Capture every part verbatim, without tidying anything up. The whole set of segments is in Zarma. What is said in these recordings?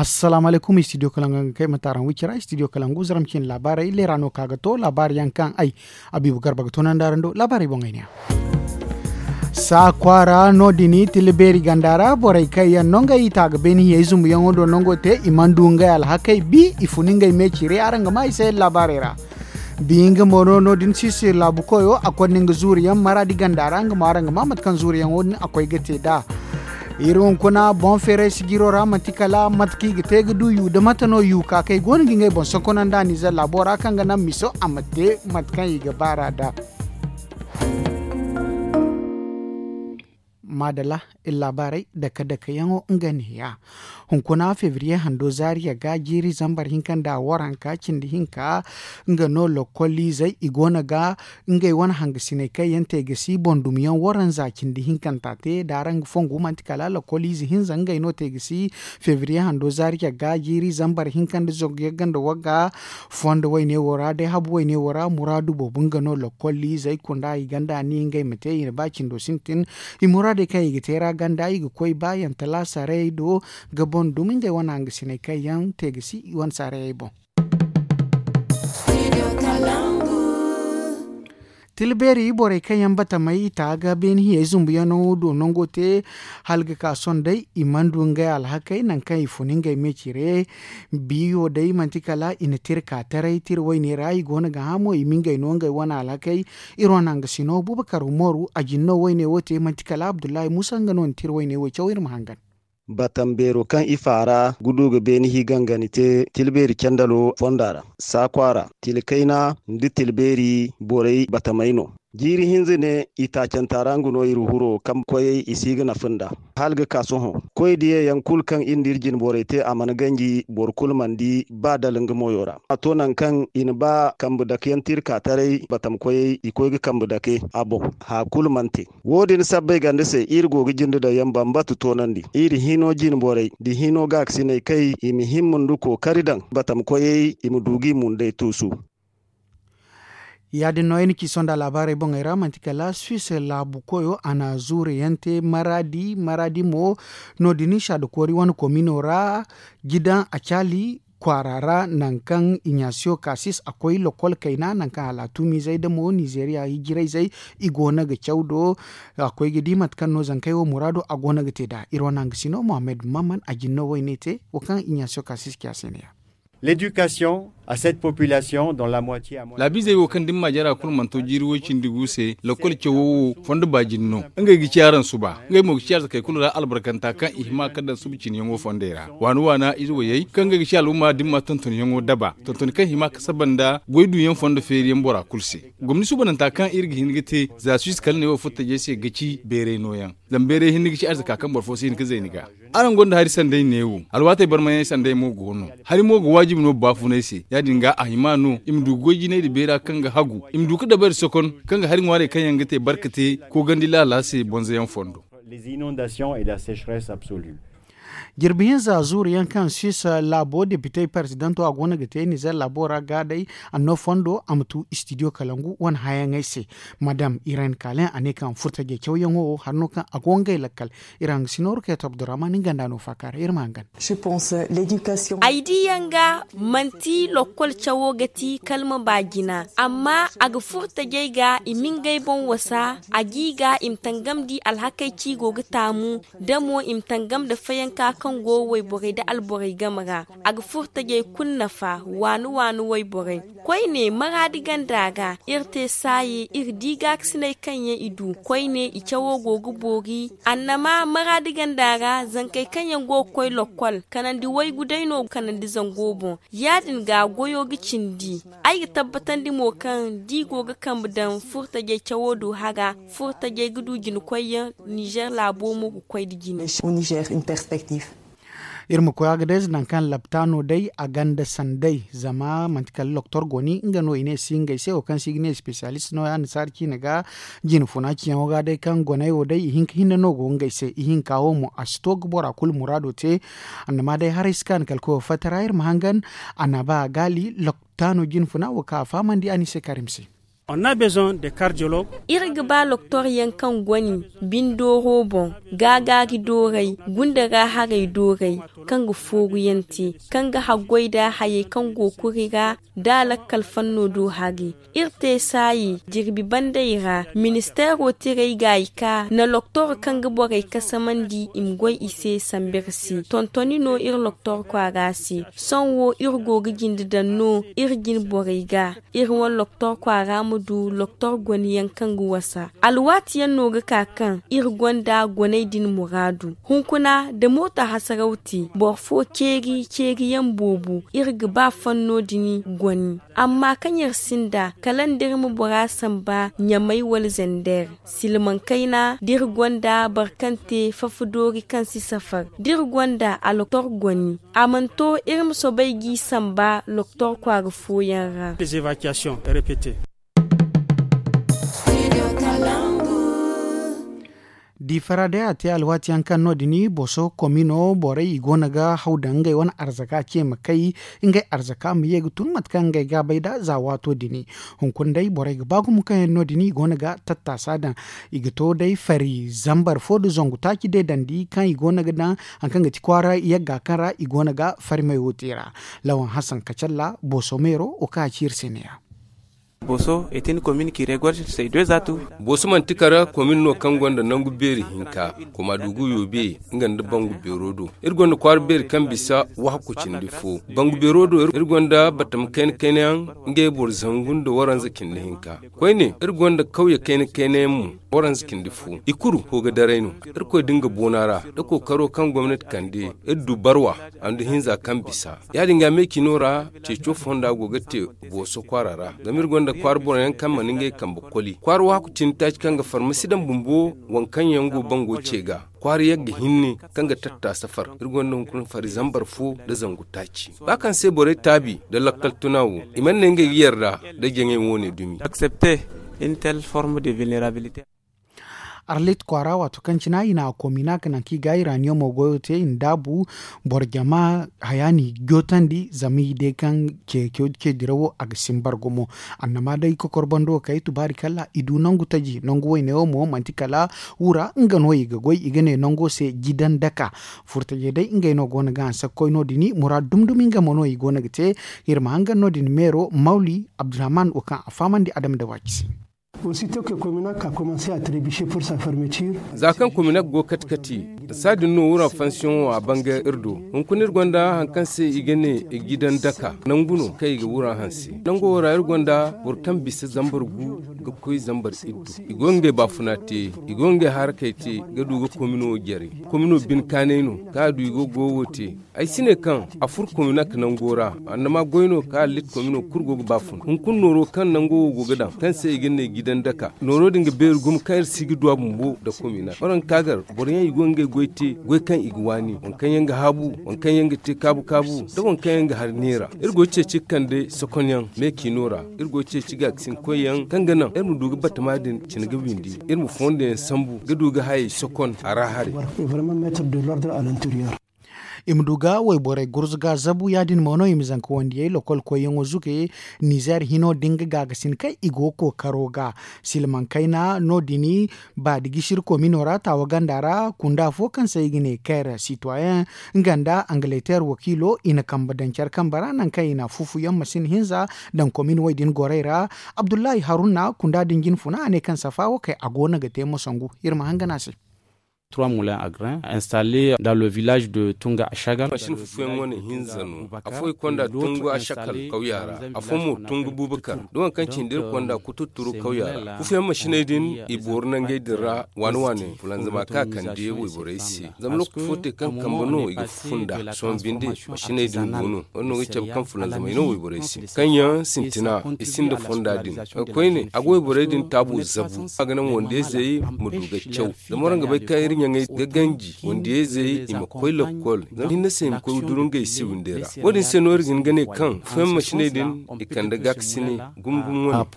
Assalaamu alaykum, studio kalangu ga kay mate araŋ wicira, studio kalangu zaram cine laabaarey leera no ka ga to laabaari yaŋ kaŋ ay abiibu garba ga toonandi araŋ do laabaarey boŋey ne ya. Saa kwaara no- din tila beeri ganda ra borey kaŋ yaŋ no ngey i ta ga beeni hiyey zumbuyaŋo do nango te i mana du ngey alhakey bi i fun ngey me cire araŋ ga ma i se laabaarey ra. Bi nga mo no no- din sisir laabu koyo a konda nga zuuriyaŋ maraadi ganda ra nga mo araŋ ga ma mate kaŋ zuuriyaŋo din a koy ga te nd'a. Iri hunkuna boŋ feeray sijiro ra manti kala mate kaŋ i ga te ga du yu nda mate no yu ka kaŋ i go no ga ngey boŋ sonkona nda nizer laabo ra kaŋ ga naŋ miso a ma te mate kaŋ i ga baar'a nd'a. Maadalla, iri laabaarey dake-dakeyaŋo nga neeya. Hunkuna febriye hando zaariya ga jiiri zambar hinka nda waranka cindi hinka nga no lokoliizey i go no ga ngey wane hangasiney kaŋ yaŋ te ga si boŋ dumyaŋ waranza cindi hinkanta te da araŋ ga fongu manti kala lokoliize hinza ngey no te ga si febriye hando zaariya ga jiiri zambar hinka nda zangu yagga nda wagga fondo wayne wo ra day habu wayne wo ra muraadu boobo nga no lokoliizey kunda i ganda ni ngey ma te i na ba cindo sintin. I muraadey kaŋ i ga te ra ganda i ga koy ba yaŋ talaasarayey do ga boŋ dumi ngey wane hangasiney kaŋ yaŋ te ga si i wane saarayey boŋ. Tila beeri borey kaŋ yaŋ batamey i ta ga beeni hiyey zumbuyaŋo do nango te hala ga ka sohõ day i mana du ngey alhakey nangu kaŋ i fun ngey me cire. Biyo day manti kala i na tira ka taray tira wayne ra i go no ga hã mo i ma ngey no ngey wane alhakey. Iri wane hangasino bubakar umaru a jin no wayne wo te manti kala abdullahi musa nga no na tira wayne wo caw iri ma hangan. Batam beero kaŋ i faara gudu ga beeni hi gangani te tilbeeri candalo fonda ra saakwa ra tila kayna nda tilbeeri borey batamey no. Jiiri hinza ne i taacanta ra nga no iri huro kaŋ koyey i si ga nafa nd'a. Hala ga ka sohõ koy diyayaŋ kulu kaŋ iri nda iri jine borey te a mana ganji boro kulu mana di ba dala nga moyo ra a to nangu kaŋ i na ba kambe dake yaŋ tira ka taray batam koyey i koy ga kambe dake a boŋ. Haya kulu mana te. Wo- din sabbay ganda se iri go ga jinde daŋ yaŋ bambata toonandi iri hino jine borey nda hino gaakasiney kay i ma himma nda kookari daŋ batam koyey i ma du ga i mundey tuusu. Ya- din no ay na ci sonda laabaarey boŋey ra manti kala suisse laabu koyo a na zuure yaŋ te maraadi maraadi mo. No- din saada koori wane komino ra jidaŋ a caali kwaara ra nangu kaŋ ignasiyo kasis a koy lokol kayna nangu kaŋ hala a tuumizey da mo nizeeriya hijirayzey i go no ga caw do. A koy ga di mate kaŋ no zankey wo muraado a go no ga te nd'a iri wane hangasino mohammed maman a jin no wayne te wo kaŋ ignasiyo kasis ci a se ne ya. L'éducation à cette population dont la moitié à moins. Laabiizey wo kaŋ da ni ma jara kulu mana to jiiri way cindi gu se lakkol cawo wo fondo baajin no. Ngey ga ci araŋ suba ngey mo ga ci arzakey kulu ra albarkanta kaŋ i hima ka daŋ suba ciniyaŋo fondey ra waana waana ize wayey kaŋ ngey ga ci al'umma da ni ma tontonyaŋo daba tontoni kaŋ hima ka saba nda goy duyaŋ fondo feeriyaŋ bora kulu se. Gomni suubananta kaŋ iri ga hin ga te za suisse kala ne wo furtajey se ga ci beeray nooyaŋ. Zama beeray hinne ga ci arzaka kaŋ boro fo si hin ga zay ni ga. Araŋ gonda hari sanday neewo alwaatey barmayaŋ sanday mo go no. Hari mo ga waajibi no baafunay se ya- din ga a hima no i ma du goy jinay nda beera kaŋ ga hagu i ma du ga dabari sokon kaŋ ga hari ŋwaarey kaŋ yaŋ ga te barka te koogandi laala se bonzayaŋ fondo. Jirbi hinza zuuru yaŋ kaŋ suisse laabo depitey parzidanto a go no ga te nizer laabo ra ga day anno fondo a ma tu istidiyo kalangu wane hayaŋey se. Madam irene kalen a ne kaŋ furtajey cawyaŋo wo hari no kaŋ a go ngey lakkal. Iri hangasino ruketo abdurrahman nga nda no faaka ra iri ma hangan. Ay diyaŋ ga manti lokkol cawo ga ti kalma ba jina amma a ga furtajey ga i ma ngey boŋ wasa a g'i ga i ma tangam di alhakey ci go ga taamu da mo i ma tangam nda fayanka kaŋ go wayborey nda alborey game ra. A ga furtajey kulu nafa waani waani wayborey. Koyne maraadi ganda ga iri te saaye iri di gaakasiney kaŋ yaŋ i du koyne i cawo go ga boori. Annama maraadi ganda ra zankey kaŋ yaŋ go ga koy lokkol kanandi waygu day no kanandi zango boŋ. Ya- din ga goyo ga cindi. Ay ga tabbatandi mo kaŋ da i go ga kambe daŋ furtajey cawo do hara furtajey ga du jina koyyaŋ nizer laabo mo ga koy nda jine. Iri ma koy agadez nangu kaŋ laptaano day a ganda sanday zama manti kala loktor goni nga no i ne si ngey se wo kaŋ se i ga ne espesiyalist no ya annasaara ciine ga. Jine funa ciyaŋo ga day kaŋ goney wo day i hinka hinne no go ngey se i hinka wo mo a si to ga bora kulu muraado te. Annama day haray si kaanu kala koyo fatta ra iri ma hangan. Annaba gaali loktaano jine funa wo kaŋ a fahamandi a ni se karim se. Iri ga ba loktor yaŋ kaŋ goni bindooro boŋ, gaagaari dooray, gunda ra haray dooray, kaŋ ga fooru yaŋ te, kaŋ ga haggoy nda hayey kaŋ go kuri ra, nda lakkal fanno do hari. Iri te saayi jirbi bandey ra, ministeero tiray gaayi ka na loktor kaŋ ga borey kasamandi i ma goy i se sambu iri se. Tontoni no iri loktor kwaara se. Sohõ wo iri go ga jinde daŋ no iri jine borey ga. Iri wane loktor kwaara ma du loktor goniyaŋ kaŋ ga wasa. Alwaati yaŋ no ga ka kaŋ iri gonda goney din muraadu. Hunkuna da mooto hasaraw te boro fo ceeri ceeri yaŋ boobo iri ga ba fanno din goni. Amma kaŋ iri sinda kala nda iri ma bora samba ɲamay wala zander. Silmaŋ kayna da iri gonda boro kaŋ te fafa doori kaŋ si safar da iri gonda aloktor goni. A mana to iri ma soobay g'i samba loktor kwaara fooyaŋ ra. Diifara day a te alwaati yaŋ kaŋ no- din boso komino borey i go no ga haw daŋ ngey wane arzaka ce ma kay ngey arzaka ma ye ga tun mate kaŋ ngey ga a bay nd'a za waato din. Hunkuna day borey ga ba gumo kaŋ yaŋ no- din i go no ga tattaasa daŋ. I ga to day fari zambar fo nda zangu taaci day dandi kaŋ i go no ga daŋ hari kaŋ ga ti kwaara yagga kaŋ ra i go no ga fari mayo te ra. Lawan hasan kacalla boso meero wo kaŋ a ci iri se ne- ya. Booso manti kala komin no kaŋ gonda nangu beeri hinka. Kuma dugu yoobe nga nda bangu beero do iri gonda kwaara beeri kaŋ bisa wahakku cindi fo. Bangu beero do iri gonda batama kayna kayna yaŋ ngey boro zangu nda waranza cindi hinka. Koyne iri gonda kawye kayna kayna yaŋ mo waranza cindi fo. I kulu hooga daray no. Irkoy da nga boona ra da kookaro kaŋ gomnati kande iri du barwa a nda hinza kaŋ bisa. Ya- din ga me cino ra ceeco fonda go ga te booso kwaara ra. Zama iri gonda kwaara boro yaŋ kaŋ mana ngey kambe koli kwaara waaku cindi taaci kaŋ ga farmasi daŋ bumbo. Waŋ kaŋ yaŋ go bango ce ga kwaara yagga hinne kaŋ ga tatta safar iri gonda hunkuna fari zambar fo nda zangu taaci. Ba kaŋ se borey taabi nda lakkal tuna wo i mana ne ngey ga yarda nda jaŋey wo- ne dumi. Arlit kwaara waato kaŋ cine i na a kominak nangu kaŋ i ga iraniyomo goyo te i na daabu boro jama haya no i ga jootandi zama i day kaŋ ce dirawo a ga simbar gumo. Annama day kokor bando kay tubaari kala i du nangu taji nangu wayne wo mo manti kala wura nga no i ga goy i ga ne nango se jidan daka. Furtajey day ngey no go no ga hanse ga koy no- din muraadu dumi dumi nga mo no i go no ga te. Iri ma hangan no- din meero mawli abdurrahman wo kaŋ a fahamandi adama da waaci se. Za kaŋ kominak go kati kati, saadin no wura fansiyoŋo a bangay iri do. Hunkuna iri gonda hari kaŋ se i ga ne i ga i daŋ daka nangu no kaŋ i ga wura hanse. Nango wo ra iri gonda boro kaŋ bisa zambar gu ga koy zambar iddu. I go ga ngey baafuna te, i go ga ngey harakey te ga du ga komino jare. Komino bine kaanay no kaŋ a du i go ga goyo te. Ay si ne kaŋ a furo kominak nango ra. Annama goy no kaŋ allit komino kulu go ga ba fun hunkuna nooro kaŋ nango wo go ga daŋ kaŋ se i ga ne gidan daka nooro din ga beeri gumo kaŋ iri si ga du a bumbo nda kominak waraŋ ga ka gar boro yaŋ i go ga ngey goy te goy kaŋ i ga waani waŋ kaŋ yaŋ ga haabu waŋ kaŋ yaŋ ga te kaabu kaabu nda waŋ kaŋ yaŋ ga hari neera. Iri go ga ceeci ga kande sokonyaŋ meekino ra. Iri go ga ceeci ga ga sinkoy yaŋ kaŋ ga naŋ iri ma du ga batama din cine ga windi iri ma fondo yaŋ sambu ga du ga hayey sokon a ra haray. I ma du ga wayborey gurzuga zabu ya- din mo no i ma zanka wandiyey lokol koyyaŋo zuge. Nizer hino da nga gaagasin kaŋ i go kookaro ga silmaŋ kayna no- din. Ba da gisiri komino ra taawa ganda ra kunda fo kaŋ se i ga ne kaire sitoyen nga nda angaleter wakiilo i na kambe daŋ care kambe ra nangu kaŋ i na fufuyaŋ masin hinza daŋ komin wo- din gorey ra. Abdullahi haruna kunda din jinfuna a ne kaŋ safa wo kay a go no ga te mosangu. Iri ma hangan a se. Trois moulins à grains installés dans le village de Tunga Ashagal. Mashin fufuyaŋ wane hinza no afo i konda Tunga Ashakal kawya ra. Afo mo Tunga Bubakar da waŋ kaŋ cindi iri konda kututturu kawya ra. Fufuyaŋ mashiney din i boori nangey din ra waani waani fulanzama kaŋ a kande wayborey se. Zama lokaci fo te kaŋ kambe no i ga fufunda sohõ binde. Masiney din go no wadin no ga cabe kaŋ fulanzamey no wayborey se kaŋ yaŋ sintina i sinda fonda din. Koyne a ga wayborey din taabo zabu a ga naŋ wandiyayzey ma du ga caw. Zama waraŋ ga bay kaŋ iri ɲaŋey ga ganji wandiyayzey i ma koy lakkol zama hinne se i ma koy duru ngey se windey ra. Wadin se no iri ga hin ga ne kaŋ fufuyaŋ masiney din i kande gaakasine gumo gumo wane.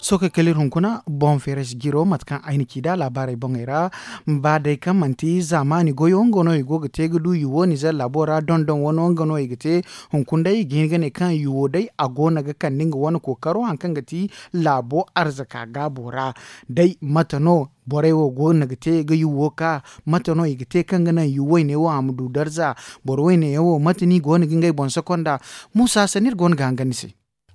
Sohõ kay kala iri hunkuna boŋ feeray si jiro mate kaŋ ay na ci nd'a laabaarey boŋey ra. Ba day kaŋ manti zaamaani goyo nga no i go ga te ga du yuwo nizer laabo ra dondon wano nga no i ga te. Hunkuna day i ga hin ga ne kaŋ yuwo day a go no ga kande nga wane kookaro hari kaŋ ga ti laabo arzaka gaabo ra. Day mate no borey wo go no ga te ga yuwo ka? Mate no i ga te kaŋ ga naŋ yuwo wayne wo a ma du darza? Boro wayne yaŋ wo mate no i go no ga ngey boŋ soko nd'a? Muusa sanni iri go no ga hangan ni se.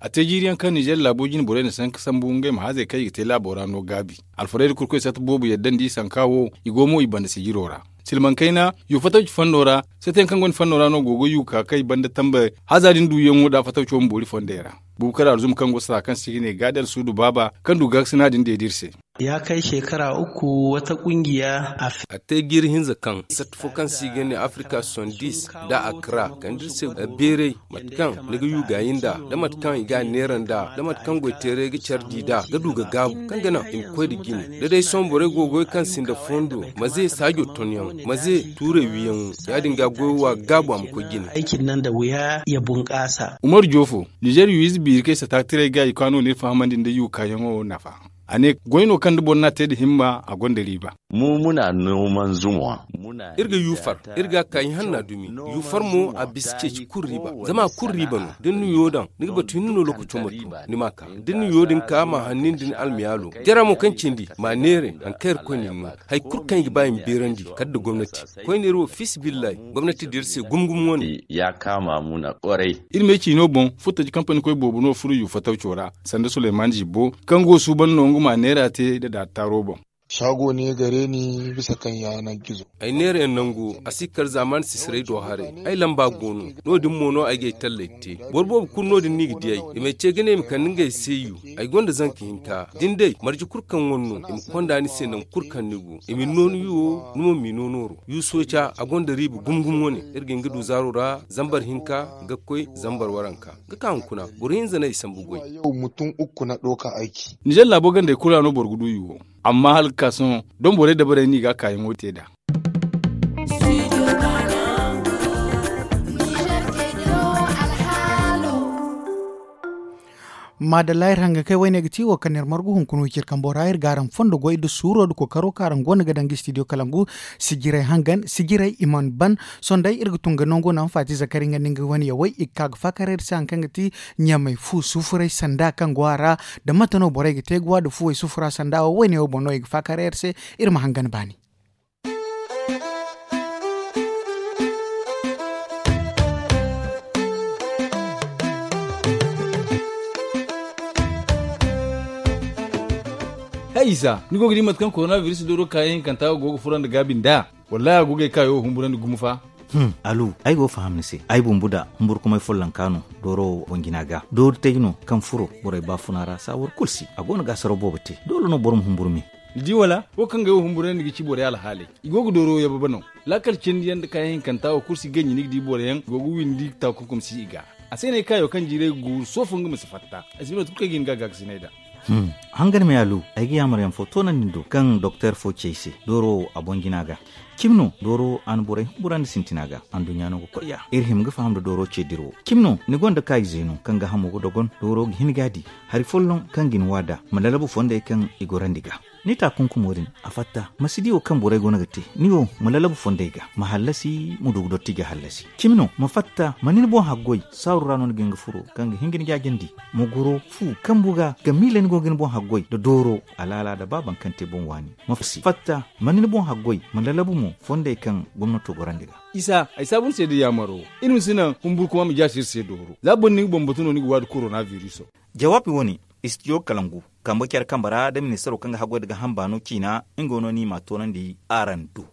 A te jiiri yaŋ kaŋ nizer laabo jine borey na sanka sambu ngey ma hazey kaŋ i ga te laabo ra no gaabi. Alfarayda kurkoy sata boobo yadda nda i sanka wo i go mo i banda sijiro ra. Silmaŋ kayna yu fatawci fondo ra. Sata yaŋ kaŋ gonda fondo ra no go ga yu ka kay banda tambe haza din duyaŋo nda fatawco ma boori fondey ra. Buubu kar alzum kaŋ go sata kaŋ se i ga ne gaadal suudu baaba kaŋ du gaakasina din deeda iri se. Ya kay shekara uku wata kungiya a fi. A te jiiri hinza kaŋ sata fo kaŋ se i ga ne afrika sosandis nda akra kande iri se beeray mate kaŋ ni ga yu gaayi nd'a da mate kaŋ i ga a neera nd'a da mate kaŋ goyteeray ga care di nd'a ga du ga gaabu kaŋ ga naŋ i ma koy nda jine da day sohõ borey go ga goy kaŋ sinda fondo maze saajo tonyaŋ maze tuurey wiyaŋo ya- din ga goy wa gaabu a ma koy jine. Ay cindi nda wuya ya bunkaasa. Umaru joofo nizer yu ize biiri kaŋ ay sata ga tiray ga i kaano no iri fahamandi nda yu kaayaŋo nafa. A ne goy no kaŋ da boro n'a te nda himma a gonda riiba. Mu muna nooman zuma. Iri ga yu far iri ga a ka ihanna dumi. Yu far mo a bisa ceeci kulu riiba zama a kulu riiba no da ni na yo daŋ ni ga batu hinne no lokaco ma tu ni m'a ka da ni na yo din ka ma hanni nda ni almiyaalo jara mo kaŋ cindi m'a neera hari kaŋ iri koy na ni no. Hari kulu kaŋ i ga ba i ma beerandi kala nda gomnati koyne iri wo fiisa billahi gomnati da iri se gumo gumo wane. Ya kaama muna kwarai. Iri me ciino boŋ furtaji kampani koy boobo no furo yu fatawco ra sanda suleyman zibbo kaŋ go suuban no nga ma neera te nda daataaro boŋ. Saago ne gare ni bisa kaŋ yaana gizo. Ay neera yaŋ nango a si kar zaamaani sisiray do haray. Ay lamba go no no- din mo no ay ga ay talley te. Boro boobo kulu no- din no i ga di ay i m'ay ce ga ne i ma kande ngey se yu. Ay gonda zanka hinka da ni day marje kulu kaŋ wane no i ma konda ni se nangu kulu kaŋ ni go i ma ni no ni yu wo ni mo ma i no nooro yu sooca a gonda riiba gumo gumo wane. Iri ga hin ga du zaaro ra zambar hinka ga koy zambar waranka ga ka hunkuna boro hinza no ay sambu goy. Nizer laabo gandey kulu ra no boro ga du yu wo. Amma hala ga ka sohõ doŋ borey dabarey no i ga a kaayaŋo te nd'a. Maadalla iri hangan kay wayne ga ti wo kaŋ iri margu hunkuna wo ciri kambo ra iri ga araŋ fondo goy nda suuro nda kookaro kaŋ araŋ go no ga daŋ ga istidiyo kalangu. Sijirey hangan sijirey i mana ban. Sohõ day iri ga tun ga nango naŋ faati zakari nga nda nga wane yawey i ga ka ga faakar iri se hari kaŋ ga ti ɲamey fu sufuray sanda kaŋ go a ra. Da mate no borey ga te ga wa nda fuwey sufura sanda wo wayne wo boŋ no i ga faakar iri se. Iri ma hangan baani. Hay isa ni go ga di mate kaŋ korona biris dooro kaayaŋ hinkanta go ga furandi gaabi nd'a? Wallaahi a go ga ay kaayo wo humburandi gumo fa. Alu, ay go ga faham ni se ay bumbu da humburkumay follonka no. Dooro wo boŋ jina ga doori tay no kaŋ furo borey baafuna ra saawar kulu se a go no ga asaraw boobo te. Doole no boro ma humburu me. Ni di wala wo kaŋ ga ay wo humburandi ga ci borey alhaaley. I go ga dooro yababa no. Laakal cindi yaŋ nda kaayaŋ hinkanta wo kulu si ganji ni ga di boro yaŋ i go ga windi taakunkum si i ga. A se no ay kaayo kaŋ jiiray ga guuru soofo nga ma si fatta. Ay si bay mate kulu kaŋ ay ga hin ga a gaakasinay nd'a. Hangan me alu, ay ga yaamar yaŋ fo toonandi ni do kaŋ doktor fo ci ay se dooro wo a boŋ jina ga. Cimi no dooro wo a na borey humburandi sintina ga. Anduɲɲa no ga koy ya iri hima ga faham nda dooro ce dira wo cimi no ni gonda kaayize no kaŋ ga hamo ga dogon dooro ga hin ga a di. Hari folloŋ kaŋ ga ni wa nd'a ma lalabu fondey kaŋ i gorandi ga. Ni taakunkumo din a fatta ma si di wo kaŋ borey go no ga te. Ni wo ma lalabu fondey ga ma hallasi ma du ga dotti ga hallasi cimi no ma fatta ma ni ni boŋ haggoy saaru ra no ni ga hin ga furo kaŋ ga hin ga ni jaajandi. Ma goro fu kambu ga ga miila ni go ga ni boŋ haggoy nda dooro alaala nda ba baŋ kaŋ te boŋ waani. Ma fatta ma ni ni boŋ haggoy ma lalabu mo fondey kaŋ gomnato gorandi ga. Isa ay saabu ni se da yaamaro iri ma si naŋ humburkuma ma jaasi iri se dooro za boro ni ga boŋ batu no ni ga waadi korona viriso. Jawaabi wane istidiyo kalangu kambe care kambe ra da ministaro kaŋ ga haggoy nda ga hamba no ciina nga no ni m'a toonandi araŋ do.